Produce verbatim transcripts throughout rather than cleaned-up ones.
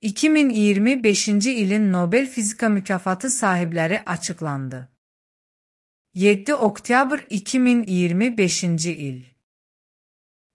iki min iyirmi beşinci ilin Nobel Fizika Mükafatı sahibləri açıqlandı. yeddi oktyabr iki min iyirmi beşinci il.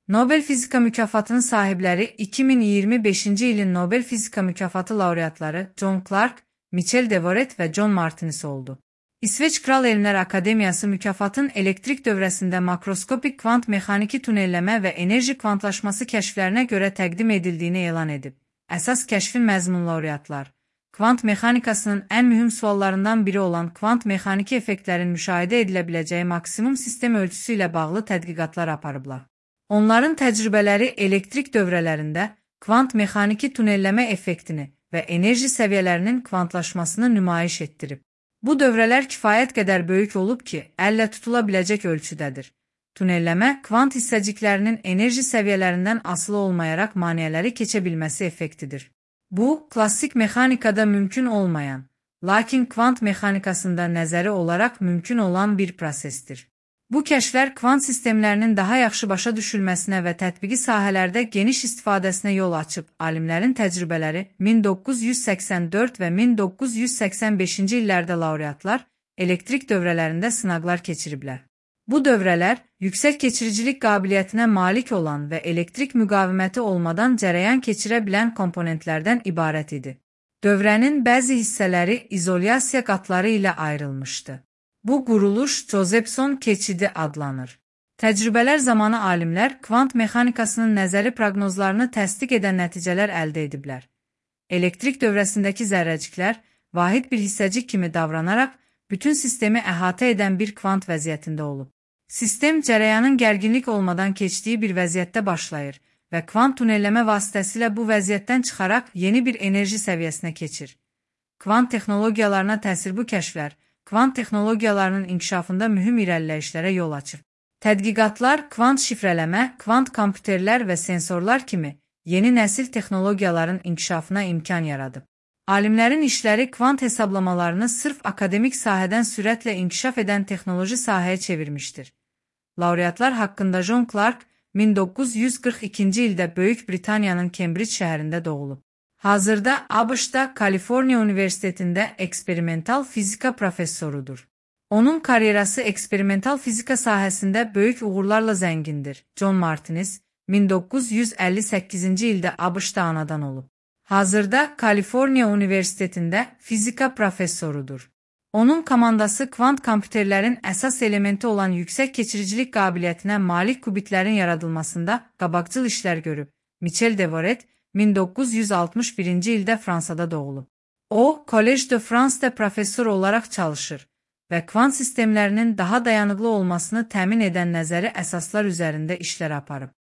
Nobel Fizika Mükafatının sahibləri iki min iyirmi beşinci ilin Nobel Fizika Mükafatı laureatları John Clark, Michel Devoret və John Martinis oldu. İsveç Kral Elmlər Akademiyası mükafatın elektrik dövrəsində makroskopik kvant mexaniki tunelləmə və enerji kvantlaşması kəşflərinə görə təqdim edildiyini elan edib. Əsas kəşfin məzmun laureatlar, kvant mexanikasının ən mühüm suallarından biri olan kvant mexaniki effektlərin müşahidə edilə biləcəyi maksimum sistem ölçüsü ilə bağlı tədqiqatlar aparıblar. Onların təcrübələri elektrik dövrələrində kvant mexaniki tunelləmə effektini və enerji səviyyələrinin kvantlaşmasını nümayiş etdirib. Bu dövrələr kifayət qədər böyük olub ki, əllə tutula biləcək ölçüdədir. Tunelləmə, kvant hissəciklərinin enerji səviyyələrindən asılı olmayaraq maneələri keçə bilməsi effektidir. Bu, klassik mexanikada mümkün olmayan, lakin kvant mexanikasında nəzəri olaraq mümkün olan bir prosesdir. Bu kəşflər kvant sistemlərinin daha yaxşı başa düşülməsinə və tətbiqi sahələrdə geniş istifadəsinə yol açıb, alimlərin təcrübələri min doqquz yüz səksən dörd və min doqquz yüz səksən beşinci illərdə laureatlar elektrik dövrələrində sınaqlar keçiriblər. Bu dövrələr, yüksək keçiricilik qabiliyyətinə malik olan və elektrik müqaviməti olmadan cərəyan keçirə bilən komponentlərdən ibarət idi. Dövrənin bəzi hissələri izolyasiya qatları ilə ayrılmışdı. Bu quruluş Josephson keçidi adlanır. Təcrübələr zamanı alimlər kvant mexanikasının nəzəri proqnozlarını təsdiq edən nəticələr əldə ediblər. Elektrik dövrəsindəki zərrəciklər vahid bir hissəcik kimi davranaraq bütün sistemi əhatə edən bir kvant vəziyyətində olub. Sistem cərəyanın gərginlik olmadan keçdiyi bir vəziyyətdə başlayır və kvant tunelləmə vasitəsilə bu vəziyyətdən çıxaraq yeni bir enerji səviyyəsinə keçir. Kvant texnologiyalarına təsir bu kəşflər, kvant texnologiyalarının inkişafında mühüm irəliləyişlərə yol açır. Tədqiqatlar kvant şifrələmə, kvant kompüterlər və sensorlar kimi yeni nəsil texnologiyaların inkişafına imkan yaradıb. Alimlərin işləri kvant hesablamalarını sırf akademik sahədən sürətlə inkişaf edən texnoloji sahəyə çevirmişdir. Laureatlar haqqında John Clark min doqquz yüz qırx ikinci ildə Böyük Britaniyanın Kembric şəhərində doğulub. Hazırda ABŞ-da Kaliforniya Universitetində eksperimental fizika professorudur. Onun karyerası eksperimental fizika sahəsində böyük uğurlarla zəngindir. John Martinis min doqquz yüz əlli səkkizinci ildə ABŞ-da anadan olub. Hazırda Kaliforniya Universitetində fizika professorudur. Onun komandası kvant kompüterlərin əsas elementi olan yüksək keçiricilik qabiliyyətinə malik kubitlərin yaradılmasında qabaqcıl işlər görüb. Michel Devoret min doqquz yüz altmış birinci ildə Fransada doğulub. O, Collège de France-da professor olaraq çalışır və kvant sistemlərinin daha dayanıqlı olmasını təmin edən nəzəri əsaslar üzərində işlər aparıb.